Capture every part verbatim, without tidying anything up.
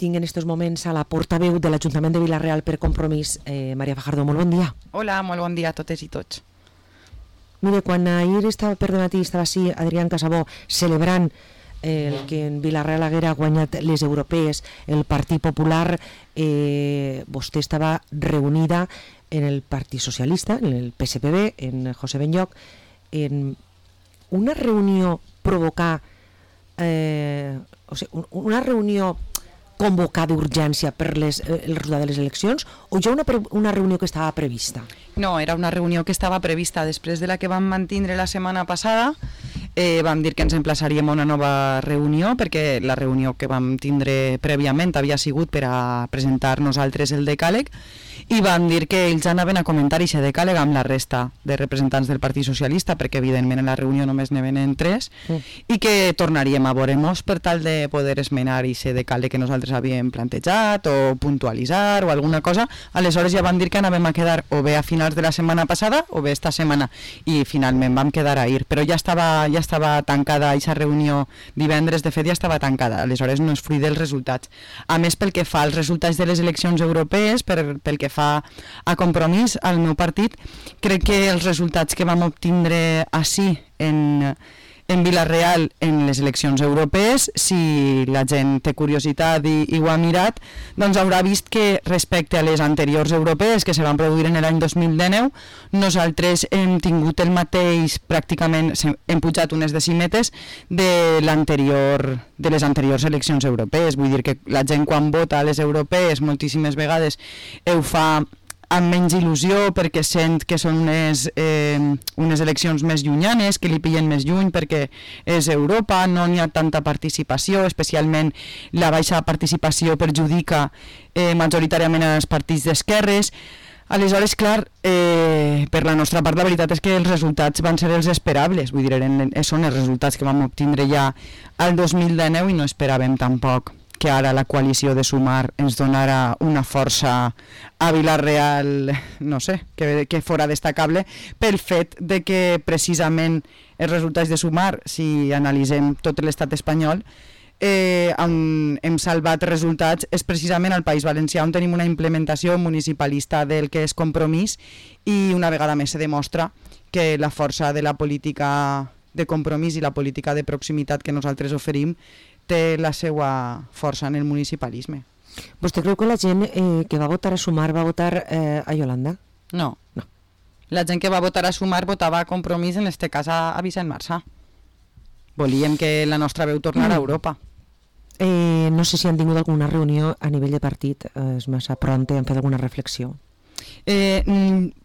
tinc en aquests moments a la portaveu de l'Ajuntament de Vila-real per Compromís, eh, Maria Fajardo. Molt bon dia. Hola, molt bon dia a totes i tots. Mire, quan ahir estava per dematí estava així Adrián Casabó celebrant eh, el que en Vila-real haguera guanyat les europees, el Partit Popular, eh, vostè estava reunida en el Partit Socialista, en el P S P B, en José Benlloch, en una reunió provocar eh, o sigui, una reunió convocada d'urgència per les, eh, el resultat de les eleccions, o ja una, una reunió que estava prevista? No, era una reunió que estava prevista després de la que vam mantindre la setmana passada. Eh, vam dir que ens emplaçaríem a una nova reunió, perquè la reunió que vam tindre prèviament havia sigut per a presentar nosaltres el decàleg, i vam dir que ells anaven a comentar aquest decàleg amb la resta de representants del Partit Socialista, perquè evidentment en la reunió només ne venen tres, mm. i que tornaríem a veure-nos per tal de poder esmenar aquest decàleg que nosaltres havíem plantejat o puntualitzar o alguna cosa. Aleshores ja vam dir que anàvem a quedar o bé a finals de la setmana passada o bé esta setmana, i finalment vam quedar a ir, però ja estava, ja estava tancada aquesta reunió divendres, de fet ja estava tancada, aleshores no és fruit dels resultats. A més, pel que fa als resultats de les eleccions europees, per, pel que fa a Compromís, al meu partit, crec que els resultats que vam obtindre així en, en Vila-real en les eleccions europees, si la gent té curiositat i, i ho ha mirat, doncs haurà vist que respecte a les anteriors europees que se van produir en l'any dos mil dinou, nosaltres hem tingut el mateix, pràcticament hem pujat unes decímetes de l'anterior, de les anteriors eleccions europees. Vull dir que la gent quan vota a les europees moltíssimes vegades ho fa amb menys il·lusió perquè sent que són unes, eh, unes eleccions més llunyanes, que li pillen més lluny perquè és Europa, no n'hi ha tanta participació, especialment la baixa participació perjudica eh, majoritàriament als partits d'esquerres. Aleshores, clar, eh, per la nostra part la veritat és que els resultats van ser els esperables, vull dir, eren, són els resultats que vam obtindre ja al dos mil dinou i no esperàvem tampoc que ara la coalició de Sumar ens donara una força a Vila-real, no sé, que, que fora destacable, pel fet de que precisament els resultats de Sumar, si analitzem tot l'estat espanyol, eh, on hem salvat resultats és precisament al País Valencià, on tenim una implementació municipalista del que és Compromís, i una vegada més se demostra que la força de la política de Compromís i la política de proximitat que nosaltres oferim té la seva força en el municipalisme. Vostè creu que la gent eh, que va votar a Sumar va votar eh, a Yolanda? No. no. La gent que va votar a Sumar votava a Compromís, en este cas a, a Vicent Marsà. Volíem que la nostra veu tornara mm. a Europa. Eh, no sé si han tingut alguna reunió a nivell de partit, eh, és massa pronte, han fet alguna reflexió? Eh,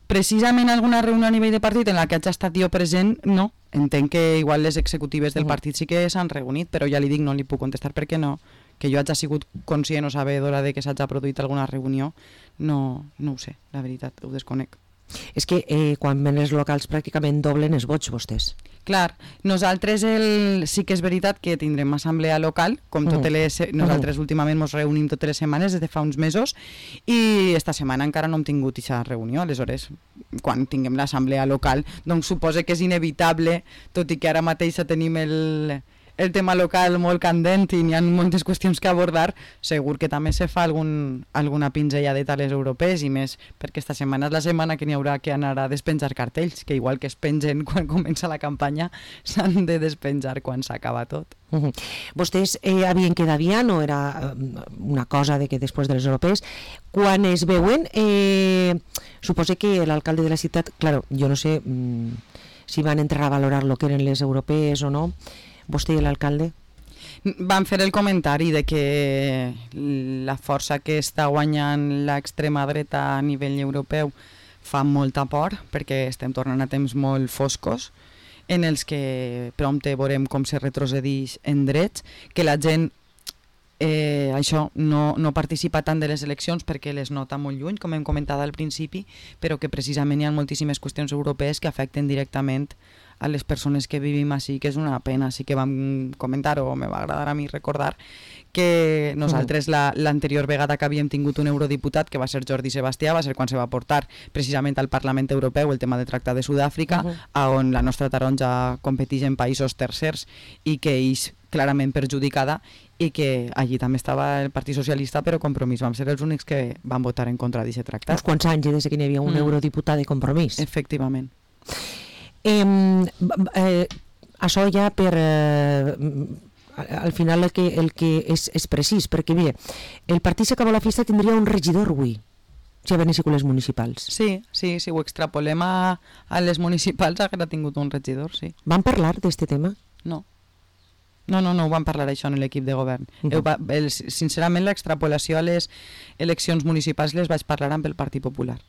precisament alguna reunió a nivell de partit en la que hagi estat jo present, no. Entenc que igual les executives del partit sí que s'han reunit, però ja li dic, no li puc contestar perquè no, que jo hagi sigut conscient o sabedora de que s'hagi produït alguna reunió, no, no ho sé, la veritat, ho desconec. És que eh, quan ven els locals pràcticament doblen els vots vostès. Clar, nosaltres el... sí que és veritat que tindrem assemblea local, com totes les... nosaltres últimament ens reunim totes les setmanes des de fa uns mesos, i esta setmana encara no hem tingut aquesta reunió, aleshores quan tinguem l'assemblea local doncs suposo que és inevitable, tot i que ara mateix tenim el... el tema local molt candent i n'hi ha moltes qüestions que abordar, segur que també se fa algun, alguna pinzelladeta a les europees, i més perquè esta setmana és la setmana que n'hi haurà que anar a despenjar cartells, que igual que es pengen quan comença la campanya, s'han de despenjar quan s'acaba tot. Uh-huh. Vostès eh, havien quedat ja, no era una cosa de que després de les europees, quan es veuen, eh, suposo que l'alcalde de la ciutat, claro, jo no sé mm, si van entrar a valorar lo que eren les europees o no, vostè i l'alcalde? Van fer el comentari de que la força que està guanyant l'extrema dreta a nivell europeu fa molta por, perquè estem tornant a temps molt foscos en els que prompte veurem com se retrocedeix en drets, que la gent eh, això no, no participa tant de les eleccions perquè les nota molt lluny, com hem comentat al principi, però que precisament hi ha moltíssimes qüestions europees que afecten directament a les persones que vivim així, que és una pena. Així que vam comentar, o me va agradar a mi recordar, que nosaltres l'anterior la, vegada que havíem tingut un eurodiputat, que va ser Jordi Sebastià, va ser quan se va portar precisament al Parlament Europeu el tema de tractat de Sud-àfrica, uh -huh. on la nostra taronja competeix en països tercers i que és clarament perjudicada, i que allí també estava el Partit Socialista, però Compromís vam ser els únics que van votar en contra d'aquest tractat. Uns quants anys des que hi havia un mm. eurodiputat de Compromís. Efectivament. Eh, eh, això ja per... Eh, al final el que, el que és, és precís, perquè mire, el Partit s'acabó la festa tindria un regidor avui, si haguessin les municipals. Sí, sí, si ho extrapolem a, a les municipals haguera tingut un regidor, sí. Van parlar d'este tema? No. No, no, no ho van parlar això en l'equip de govern. Uh -huh. el, sincerament, l'extrapolació a les eleccions municipals les vaig parlar amb el Partit Popular.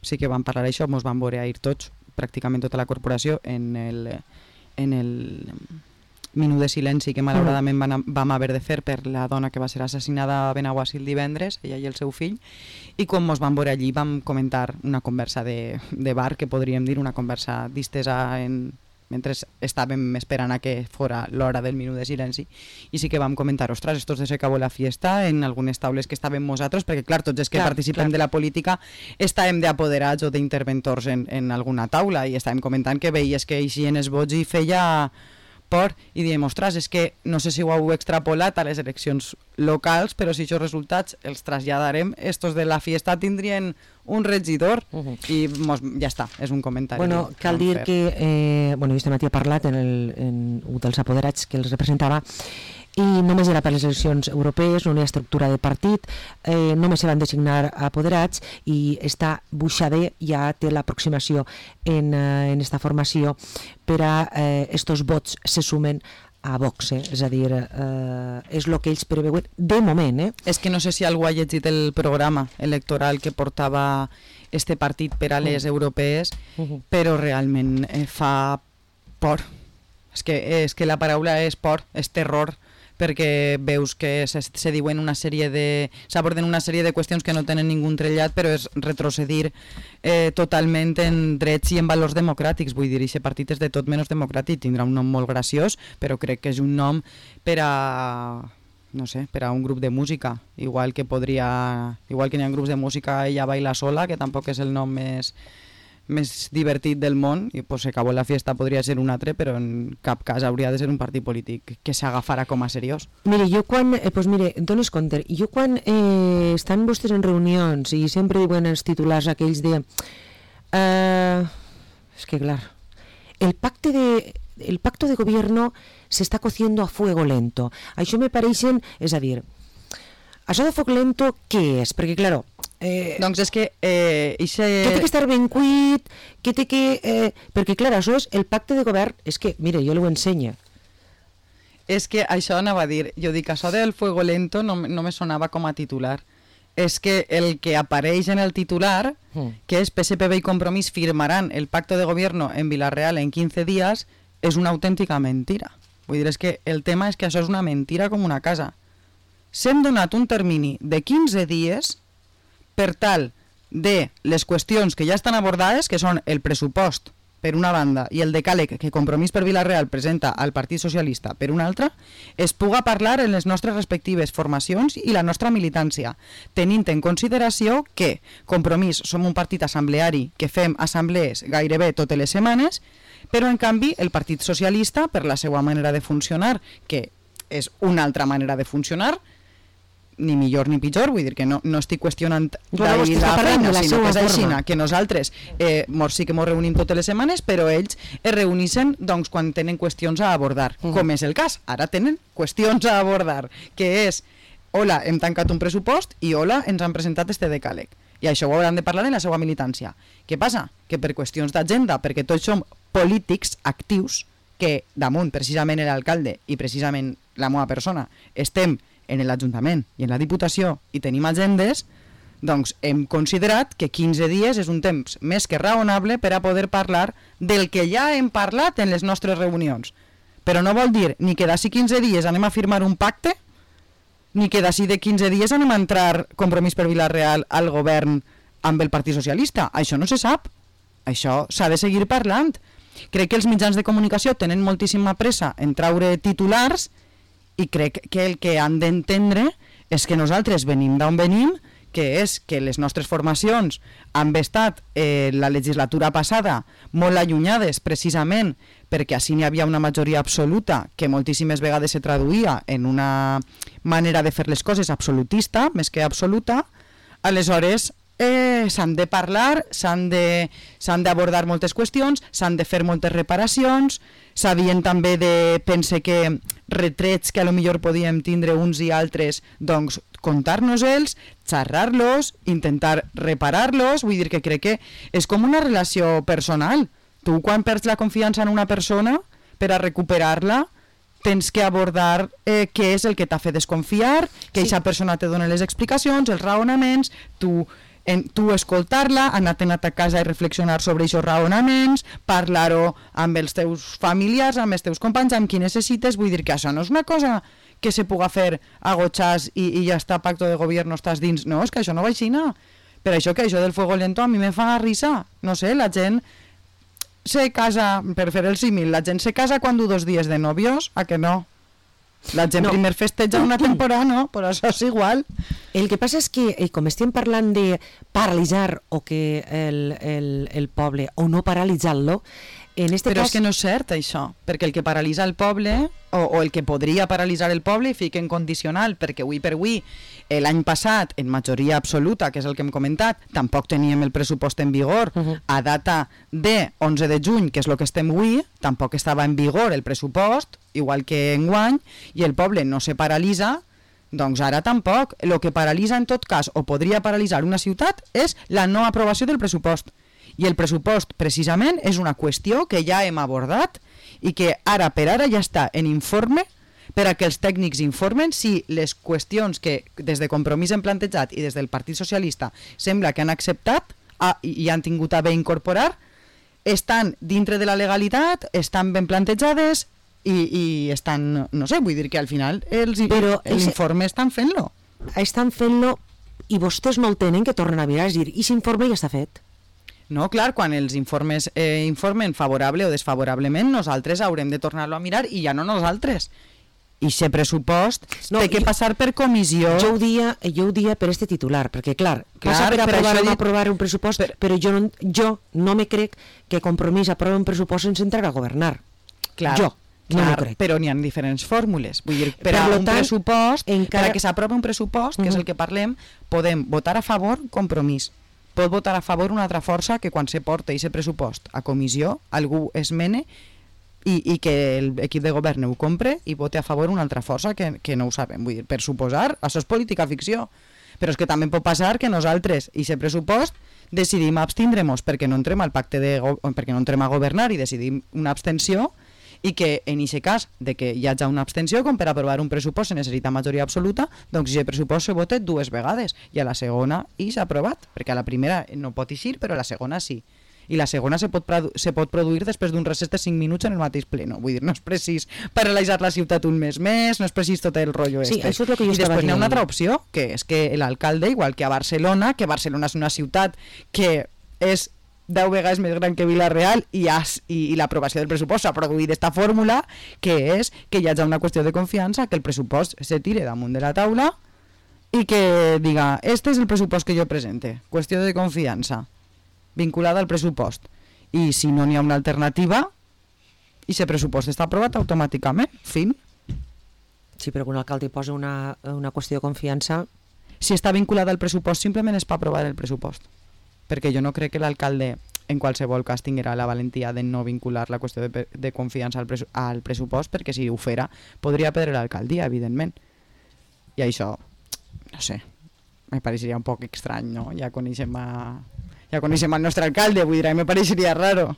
Sí que van parlar això, ens van veure ahir tots, pràcticament tota la corporació, en el, en el minut de silenci que malauradament van, vam haver de fer per la dona que va ser assassinada a Benaguasil divendres, ella i el seu fill, i quan ens vam veure allí vam comentar una conversa de, de bar, que podríem dir, una conversa distesa en... mentre estàvem esperant a que fora l'hora del minut de silenci, i sí que vam comentar, ostres, esto se acabó la fiesta en algunes taules que estàvem nosaltres, perquè clar, tots els que clar, participem clar. de la política estàvem d'apoderats o d'interventors en, en alguna taula, i estàvem comentant que veies que eixien els vots i feia por, i diem, ostres, és que no sé si ho heu extrapolat a les eleccions locals, però si aquests resultats els traslladarem, estos de la fiesta tindrien un regidor, uh -huh. i mos, ja està, és un comentari. Bueno, cal dir fer. que, eh, bueno, este matí ha parlat en, el, en un dels apoderats que els representava, i només era per les eleccions europees, no hi ha estructura de partit, eh, només se van designar apoderats, i està Buixader ja té l'aproximació en, eh, en esta formació per a eh, estos vots se sumen a Vox, eh? És a dir, eh, és el que ells preveuen de moment. Eh? És que no sé si algú ha llegit el programa electoral que portava este partit per a les uh. europees, uh -huh. però realment eh, fa por. És que, és que la paraula és por, és terror, perquè veus que se, se diuen una sèrie de... s'aborden una sèrie de qüestions que no tenen ningú trellat, però és retrocedir eh, totalment en drets i en valors democràtics. Vull dir, aquest partit és de tot menys democràtic, tindrà un nom molt graciós, però crec que és un nom per a... no sé, per a un grup de música, igual que podria... igual que n'hi ha grups de música Ella baila sola, que tampoc és el nom més... més divertit del món, i pues, acabó la fiesta podria ser un altre, però en cap cas hauria de ser un partit polític que s'agafara com a seriós. Mire, jo quan, eh, pues mire, dones compte, jo quan eh, estan vostès en reunions i sempre diuen els titulars aquells de eh, és que clar, el pacte de el pacto de gobierno se está cociendo a fuego lento. Això me pareixen, és a dir, això de foc lento què és? Perquè claro, Eh, doncs és que eh, ixe... que té que estar ben cuit, que té que... Eh, perquè clar, això és el pacte de govern, és que, mire, jo l'ho ensenya. És que això anava a dir, jo dic, això del fuego lento no, no me sonava com a titular. És que el que apareix en el titular, mm. que és P S P B i Compromís firmaran el pacto de gobierno en Vila-real en quinze dies, és una autèntica mentira. Vull dir, és que el tema és que això és una mentira com una casa. S'hem donat un termini de quinze dies per tal de les qüestions que ja estan abordades, que són el pressupost per una banda i el decàleg que Compromís per Vila-real presenta al Partit Socialista per una altra, es puga parlar en les nostres respectives formacions i la nostra militància, tenint en consideració que Compromís som un partit assembleari que fem assemblees gairebé totes les setmanes, però en canvi el Partit Socialista, per la seva manera de funcionar, que és una altra manera de funcionar, ni millor ni pitjor, vull dir que no, no estic qüestionant d'ahir la feina, sinó que és així, que nosaltres eh, mos, sí que ens reunim totes les setmanes, però ells es reuneixen doncs, quan tenen qüestions a abordar, uh -huh. com és el cas, ara tenen qüestions a abordar, que és, hola, hem tancat un pressupost i hola, ens han presentat este decàleg, i això ho hauran de parlar en la seva militància. Què passa? Que per qüestions d'agenda, perquè tots som polítics actius, que damunt precisament l'alcalde i precisament la meva persona estem en l'Ajuntament i en la Diputació i tenim agendes, doncs hem considerat que quinze dies és un temps més que raonable per a poder parlar del que ja hem parlat en les nostres reunions. Però no vol dir ni que d'ací quinze dies anem a firmar un pacte, ni que d'ací de quinze dies anem a entrar Compromís per Vila-real al govern amb el Partit Socialista. Això no se sap. Això s'ha de seguir parlant. Crec que els mitjans de comunicació tenen moltíssima pressa en traure titulars i crec que el que han d'entendre és que nosaltres venim d'on venim, que és que les nostres formacions han estat eh, la legislatura passada molt allunyades precisament perquè així n'hi havia una majoria absoluta que moltíssimes vegades se traduïa en una manera de fer les coses absolutista, més que absoluta. Aleshores eh, s'han de parlar, s'han de, s'han d'abordar moltes qüestions, s'han de fer moltes reparacions, s'havien també de, pense que retrets que a lo millor podíem tindre uns i altres, doncs contar-nos-els, xerrar-los, intentar reparar-los, vull dir que crec que és com una relació personal. Tu quan perds la confiança en una persona, per a recuperar-la, tens que abordar eh, què és el que t'ha fet desconfiar, que aquesta sí. persona te dona les explicacions, els raonaments, tu... En, tu escoltar-la, anar-te'n a ta casa i reflexionar sobre aquests raonaments, parlar-ho amb els teus familiars, amb els teus companys, amb qui necessites. Vull dir que això no és una cosa que se puga fer a gotxàs i, i ja està, pacto de govern, estàs dins. No, és que això no va així, no. Per això que això del fuego lento a mi me fa risa. No sé, la gent se casa, per fer el símil, la gent se casa quan du dos dies de novios, a que no? La gent no. primer festeja una temporada, no? Però això és igual. El que passa és que, eh, com estem parlant de paralitzar o que el, el, el poble, o no paralitzar-lo, en este Però cas... és que no és cert, això, perquè el que paralitza el poble, o, o el que podria paralitzar el poble, i fica en condicional, perquè avui per avui, l'any passat, en majoria absoluta, que és el que hem comentat, tampoc teníem el pressupost en vigor, uh -huh. a data de onze de juny, que és el que estem avui, tampoc estava en vigor el pressupost, igual que enguany, i el poble no se paralitza, doncs ara tampoc. El que paralitza en tot cas, o podria paralitzar una ciutat, és la no aprovació del pressupost. I el pressupost, precisament, és una qüestió que ja hem abordat i que ara per ara ja està en informe per a que els tècnics informen si les qüestions que des de Compromís hem plantejat i des del Partit Socialista sembla que han acceptat a, i han tingut a bé incorporar, estan dintre de la legalitat, estan ben plantejades i, i estan, no sé, vull dir que al final els, Però l'informe estan fent-lo. Estan fent-lo i vostès no el tenen que tornen a mirar, és dir, i s'informe ja està fet. No, clar, quan els informes eh, informen favorable o desfavorablement, nosaltres haurem de tornar-lo a mirar i ja no nosaltres. I aquest pressupost no, té que jo, passar per comissió. Jo ho dia, jo ho dia per este titular, perquè clar, clar passa per aprovar o no aprovar un pressupost, per, però jo no, jo no me crec que Compromís aprova un pressupost sense entrar a governar. Clar, jo no clar, m'ho crec. Però n'hi ha diferents fórmules. Vull dir, per, per a un tant, pressupost, encara... per a que s'aprovi un pressupost, que uh -huh. és el que parlem, podem votar a favor Compromís. Pot votar a favor una altra força que quan se porta aquest pressupost a comissió, algú esmene i, i que l'equip de govern ho compre i vote a favor una altra força que, que no ho sabem. Vull dir, per suposar, això és política ficció. Però és que també pot passar que nosaltres, i aquest pressupost, decidim abstindre-nos perquè no entrem al pacte de perquè no entrem a governar i decidim una abstenció, i que en aquest cas de que hi hagi una abstenció, com per aprovar un pressupost se necessita majoria absoluta, doncs aquest pressupost se vota dues vegades i a la segona i s'ha aprovat, perquè a la primera no pot eixir, però a la segona sí. I la segona se pot, se pot produir després d'un recés de cinc minuts en el mateix pleno. Vull dir, no és precís paralitzar la ciutat un mes més, no és precís tot el rotllo sí, este. Això és el que jo I després dient. n'hi ha una altra opció, que és que l'alcalde, igual que a Barcelona, que Barcelona és una ciutat que és deu vegades més gran que Vila-real i, has, i, i l'aprovació del pressupost s'ha produït aquesta fórmula, que és que hi hagi una qüestió de confiança, que el pressupost se tire damunt de la taula i que diga, este és el pressupost que jo presente, qüestió de confiança vinculada al pressupost, i si no n'hi ha una alternativa i aquest pressupost està aprovat automàticament, fin. Sí, però quan l'alcalde posa una, una qüestió de confiança... Si està vinculada al pressupost simplement és per aprovar el pressupost, perquè jo no crec que l'alcalde en qualsevol cas tinguera la valentia de no vincular la qüestió de, de confiança al, presu al pressupost, perquè si ho fera podria perdre l'alcaldia, evidentment. I això, no sé, me pareixeria un poc estrany, no? Ja coneixem a... ja coneixem el nostre alcalde, vull dir, me pareixeria raro.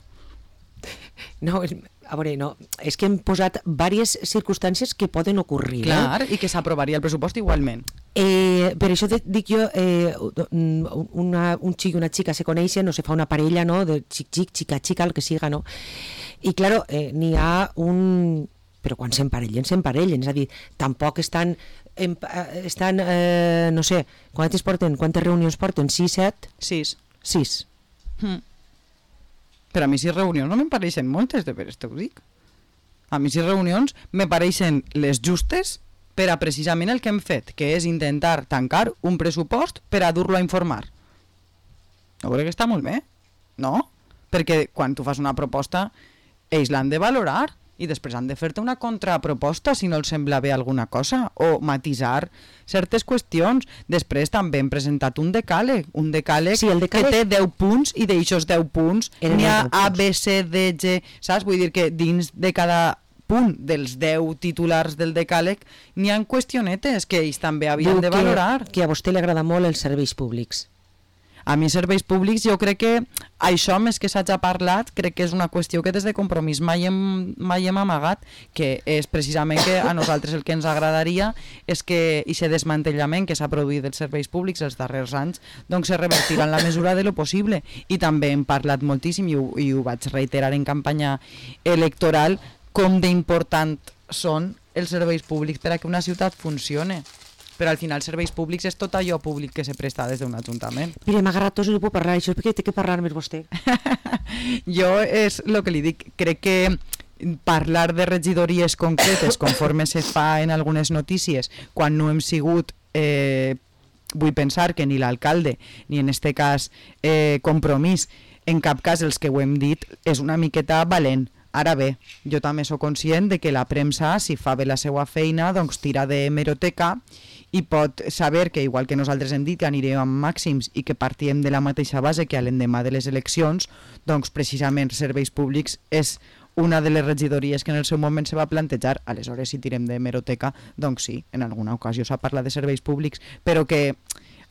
No, a veure, no, és que hem posat diverses circumstàncies que poden ocorrir. Clar, eh? I que s'aprovaria el pressupost igualment. Eh, per això te dic jo, eh, una, un xic i una xica se coneixen, no se fa una parella, no?, de xic-xic, xica-xica, el que siga, no? I, claro, eh, n'hi ha un... Però quan s'emparellen, s'emparellen, és a dir, tampoc estan, en, estan eh, no sé, quantes porten, quantes reunions porten? sis, set? sis. sis. Hmm. Però a mi sis reunions no me'n pareixen moltes, de veres te ho dic. A mi sis reunions me pareixen les justes per a precisament el que hem fet, que és intentar tancar un pressupost per a dur-lo a informar. Jo crec que està molt bé, no? Perquè quan tu fas una proposta, ells l'han de valorar i després han de fer-te una contraproposta si no els sembla bé alguna cosa, o matisar certes qüestions. Després també hem presentat un decàleg, un decàleg, sí, decàleg... que té deu punts, i d'aixòs deu punts n'hi ha A, B, C, D, G, saps? Vull dir que dins de cada punt dels deu titulars del decàleg n'hi ha qüestionetes que ells també havien Diu de valorar. Que, que a vostè li agrada molt els serveis públics. A mi serveis públics, jo crec que això, més que s'hagi parlat, crec que és una qüestió que des de Compromís mai hem, mai hem amagat, que és precisament que a nosaltres el que ens agradaria és que aquest desmantellament que s'ha produït dels serveis públics els darrers anys doncs se revertirà en la mesura de lo possible. I també hem parlat moltíssim, i ho, i ho vaig reiterar en campanya electoral, com d'important són els serveis públics per a que una ciutat funcione. Però al final serveis públics és tot allò públic que se presta des d'un ajuntament. Mire, m'ha agradat tot, no puc parlar, això és perquè té que parlar més vostè. Jo és el que li dic, crec que parlar de regidories concretes conforme se fa en algunes notícies, quan no hem sigut, eh, vull pensar que ni l'alcalde, ni en este cas eh, Compromís, en cap cas els que ho hem dit, és una miqueta valent. Ara bé, jo també sóc conscient de que la premsa, si fa bé la seva feina, doncs tira de hemeroteca i pot saber que, igual que nosaltres hem dit que anirem amb màxims i que partíem de la mateixa base que a l'endemà de les eleccions, doncs precisament serveis públics és una de les regidories que en el seu moment se va plantejar. Aleshores, si tirem de hemeroteca, doncs sí, en alguna ocasió s'ha parlat de serveis públics, però que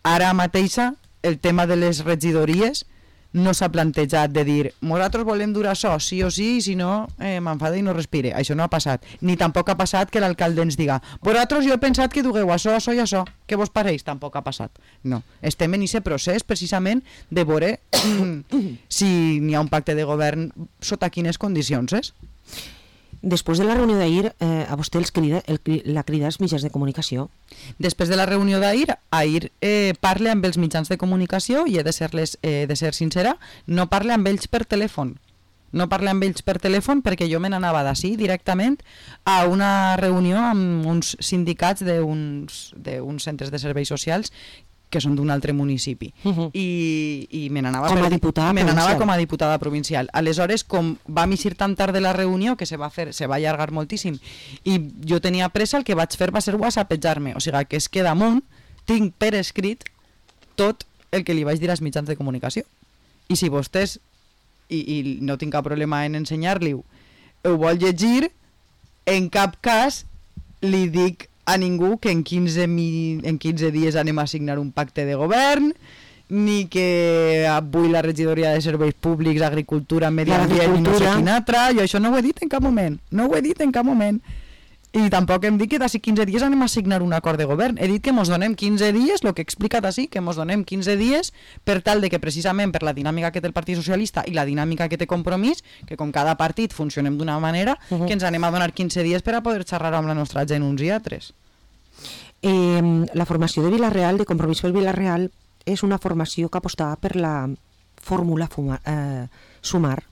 ara mateixa el tema de les regidories no s'ha plantejat de dir nosaltres volem dur això, sí o sí, i si no eh, m'enfada i no respire. Això no ha passat. Ni tampoc ha passat que l'alcalde ens diga vosaltres jo he pensat que dugueu això, això i això. Què vos pareix? Tampoc ha passat. No. Estem en aquest procés precisament de veure si n'hi ha un pacte de govern sota quines condicions és. Després de la reunió d'ahir, eh, a vostè els crida, el, la crida als mitjans de comunicació? Després de la reunió d'ahir, ahir eh, parle amb els mitjans de comunicació i he de, ser-les, eh, de ser sincera, no parle amb ells per telèfon. No parle amb ells per telèfon perquè jo me n'anava d'ací directament a una reunió amb uns sindicats d'uns d'uns centres de serveis socials que són d'un altre municipi. Uh-huh. I, i me n'anava com, com a diputada provincial. Aleshores, com vam eixir tan tard de la reunió que se va fer, se va allargar moltíssim i jo tenia pressa, el que vaig fer va ser whatsappejar-me, o sigui que és que damunt tinc per escrit tot el que li vaig dir als mitjans de comunicació. I si vostès, i, i no tinc cap problema en ensenyar-li-ho, ho vol llegir, en cap cas li dic a ningú que en quinze, en quinze dies anem a signar un pacte de govern, ni que avui la regidoria de serveis públics, agricultura, medi ambient i no sé quin altre. Jo això no ho he dit en cap moment, no ho he dit en cap moment. I tampoc hem dit que d'ací quinze dies anem a signar un acord de govern. He dit que mos donem quinze dies, el que he explicat així, que mos donem quinze dies per tal de que precisament per la dinàmica que té el Partit Socialista i la dinàmica que té Compromís, que com cada partit funcionem d'una manera, uh-huh. que ens anem a donar quinze dies per a poder xerrar amb la nostra gent uns i altres. Eh, la formació de Vila-real, de Compromís pel Vila-real, és una formació que apostava per la fórmula fuma, eh, sumar.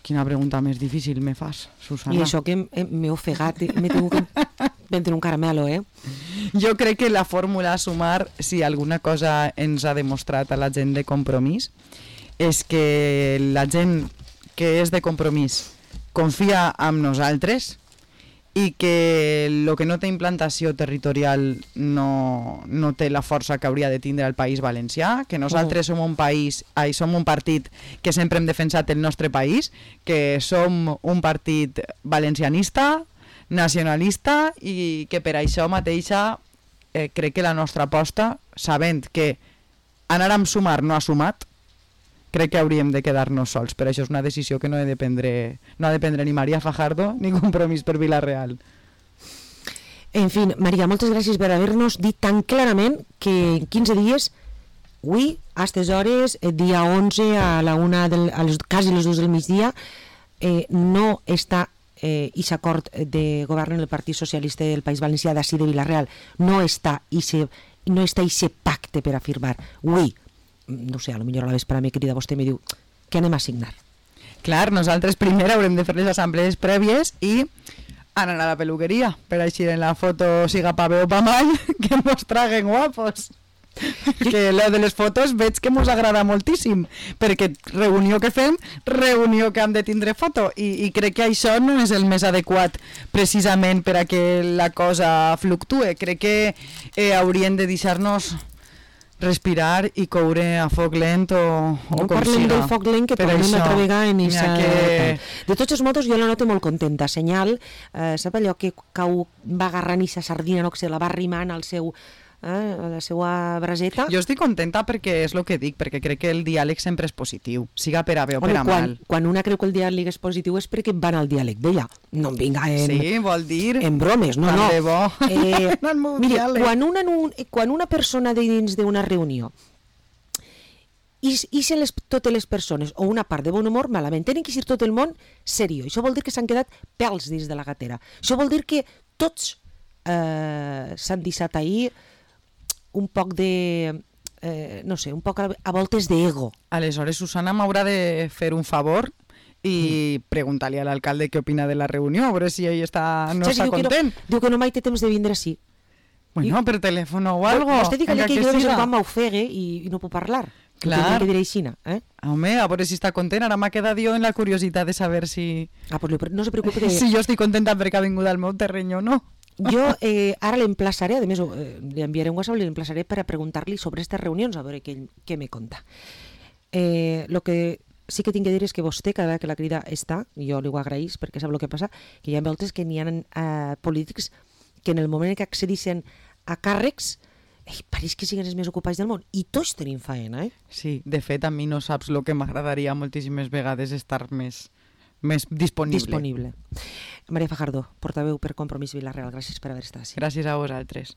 Quina pregunta més difícil me fas, Susana. I això que m'he ofegat, m'he tingut que vendre un caramelo, eh? Jo crec que la fórmula sumar, si alguna cosa ens ha demostrat a la gent de Compromís, és que la gent que és de Compromís confia en nosaltres i que el que no té implantació territorial no, no té la força que hauria de tindre el País Valencià, que nosaltres som un país, ai, som un partit que sempre hem defensat el nostre país, que som un partit valencianista, nacionalista i que per això mateixa eh, crec que la nostra aposta, sabent que anar amb sumar no ha sumat, crec que hauríem de quedar-nos sols, però això és una decisió que no ha de prendre, no ha de prendre ni Maria Fajardo ni Compromís per Vila-real. En fi, Maria, moltes gràcies per haver-nos dit tan clarament que en quinze dies, avui, a aquestes hores, dia onze, a la una, del, a les, quasi les dues del migdia, eh, no està eh, i s'acord de govern el Partit Socialista del País Valencià d'ací de Vila-real, no està i no està i se pacte per a firmar. Avui, no sé, a lo millor a la vespre me crida vostè i me diu que anem a signar. Clar, nosaltres primer haurem de fer les assemblees prèvies i Anar a la peluqueria, per així en la foto siga pa bé o pa mal, que mos traguen guapos. Que lo de les fotos veig que mos agrada moltíssim, perquè reunió que fem, reunió que hem de tindre foto, i, i crec que això no és el més adequat precisament per a que la cosa fluctue. Crec que eh, haurien de deixar-nos respirar i coure a foc lent o, o no com parlem siga. del foc lent, que tornem una altra vegada en esa... que... De tots els modos, jo la noto molt contenta. Senyal, eh, sap allò que cau, va agarrant esa sardina, no? Que se la va arrimant al seu... Eh, a la seva braseta. Jo estic contenta perquè és el que dic, perquè crec que el diàleg sempre és positiu, siga per a bé o Home, per a quan, mal. Quan una creu que el diàleg és positiu és perquè van al diàleg d'ella. No em vinga en, Sí, vol dir... en bromes, no, no. Tant de bo. Eh, En el meu mira, diàleg. quan una, quan una persona de dins d'una reunió i, i se les, totes les persones, o una part de bon humor, malament, tenen que ser tot el món seriós. Això vol dir que s'han quedat pèls dins de la gatera. Això vol dir que tots eh, s'han deixat ahir un poc de, eh, no sé, un poc a, a voltes d'ego. Aleshores, Susana m'haurà de fer un favor i mm. preguntar-li a l'alcalde què opina de la reunió, a veure si ell està, no Saps, està diu content. Que no, diu que no mai té temps de vindre així. Bueno, per telèfon o algo. Vostè digue-li que, que jo de vez en quan m'ofegue i, i no puc parlar. Clar. Que diré aixina, eh? Home, a veure si està content. Ara m'ha quedat jo en la curiositat de saber si... Ah, pues no se preocupe que... Si jo estic contenta perquè ha vingut al meu terreny o no. Jo eh, ara l'emplaçaré, a més eh, li enviaré un WhatsApp, l'emplaçaré per a preguntar-li sobre aquestes reunions, a veure què, què me conta. Eh, lo que sí que tinc que dir és que vostè, cada vegada que la crida està, jo li ho agraïs perquè sap el que passa, que hi ha voltes que n'hi ha eh, polítics que en el moment que accedissin a càrrecs, eh, pareix que siguin els més ocupats del món, i tots tenim faena, eh? Sí, de fet, a mi no saps el que m'agradaria moltíssimes vegades estar més... més disponible. Disponible. Maria Fajardo, portaveu per Compromís Vila-real, gràcies per haver estat així. Gràcies a vosaltres.